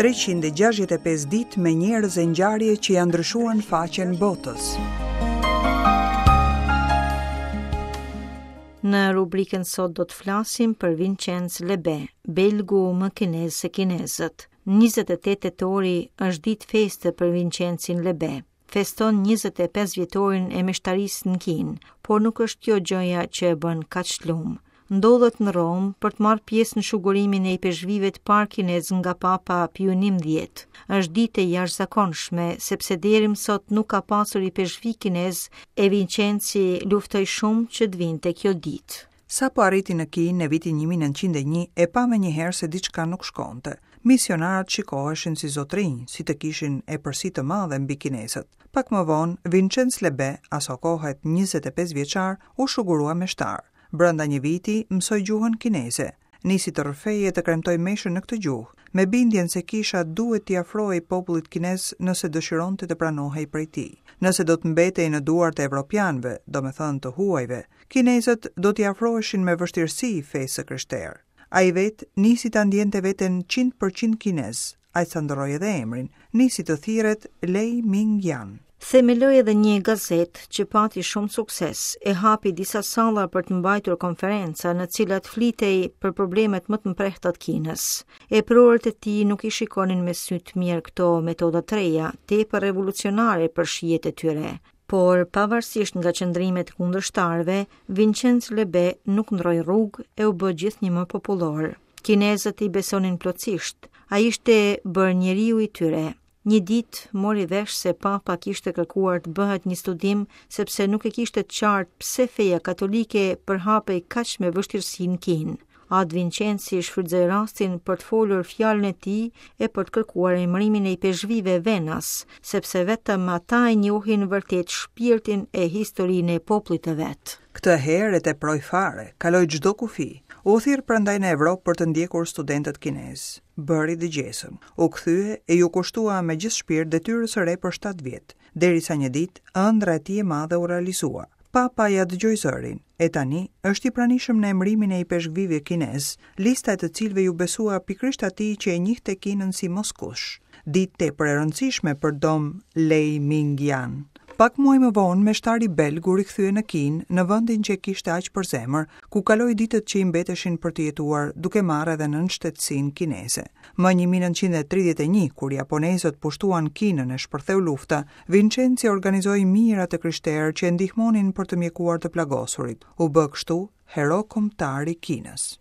365 ditë me njerëz e ngjarje që ia ndryshuan faqen botës. Në rubrikën sot do të flasim për Vincenz Lebe, belgu më kinez se kinezët. 28 tetori është ditë feste për Vincencin Lebe. Feston 25 vjetorin e meshtarisë në Kinë, por nuk është kjo gjëja që e bën kaq lum. Ndodhet në Romë për të marrë pjesë në shugurimin e ipeshkvijve të parë kinezë nga Papa Piu XI. Është ditë e jashtëzakonshme, sepse deri më sot nuk ka pasur ipeshkvij kinez e Vincenci luftoi shumë që të vinte kjo ditë. Sapo arriti në Kinë në vitin 1901, e pa menjëherë se diçka nuk shkonte. Misionarët shikoheshin si zotërinj, si të kishin epërsi të madhe mbi kinezët. Pak më vonë, Vincenc Lebe, asokohe 25 vjeçar, u shugurua meshtar. Brenda një viti, mësoi gjuhën kineze. Nisi të rrëfejë e të kremtojë meshën në këtë gjuhë, me bindjen se kisha duhet t'i afrohej popullit kinez nëse dëshironte të pranohej prej tij. Nëse do të mbetej në duart e evropianëve, domethënë të huajve, kinezët do t'i afroheshin me vështirësi fesë së krishterë. Ai vetë nisi ta ndjente veten 100% kinez, aq sa ndërroi edhe emrin, nisi të thirret Lei Ming Yan. Themeloi edhe një gazetë që pati shumë sukses, e hapi disa salla për të mbajtur konferenca në të cilat flitej për problemet më të mprehta të Kinës. Eprorët e tij nuk i shikonin me sy të mirë këto metoda të reja, tepër revolucionare për shijet e tyre. Por, pavarësisht nga qëndrimet e kundërshtarëve, Vincenz Lebe nuk ndërroi rrugë e u bë gjithnjë më popullor. Kinezët i besonin plotësisht. Ai ishte bërë njeriu i tyre. Një ditë mori vesh se papa kishte kërkuar të bëhet një studim sepse nuk e kishte të qartë pse feja katolike përhapej kaq me vështirësi në Kinë. Atë Vincenzi shfrytëzoi rastin për të folur fjalën e tij e për të kërkuar emërimin e ipeshkvijve venas, sepse vetëm ata e njohin vërtet shpirtin e historinë e popullit të vet. Këtë herë e teproi fare, kaloi çdo kufi. U thirr prandaj në Evropë për të ndjekur studentët kinezë. Bëri dëgjesën. U kthye e iu kushtua me gjithë shpirt detyrës së re për 7 vjet, derisa një ditë ëndrra e tij e madhe u realizua. Papa ia dëgjoi zërin, e tani është i pranishëm në emërimin e ipeshkvijve kinezë, lista e të cilëve iu besua pikërisht atij që e njihte Kinën si moskush. Ditë tepër e rëndësishme për Dom Lei Ming Yan. Pak muaj më vonë, meshtari belg u rikthye në Kinë, në vendin që e kishte aq për zemër, ku kaloi ditët që i mbeteshin për të jetuar, duke marrë edhe nënshtetësinë kineze. Më 1931, kur japonezët pushtuan Kinën e shpërtheu lufta, Vincenzi organizoi mijëra të krishterë që e ndihmonin për të mjekuar të plagosurit. U bë kështu hero kombëtar i Kinës.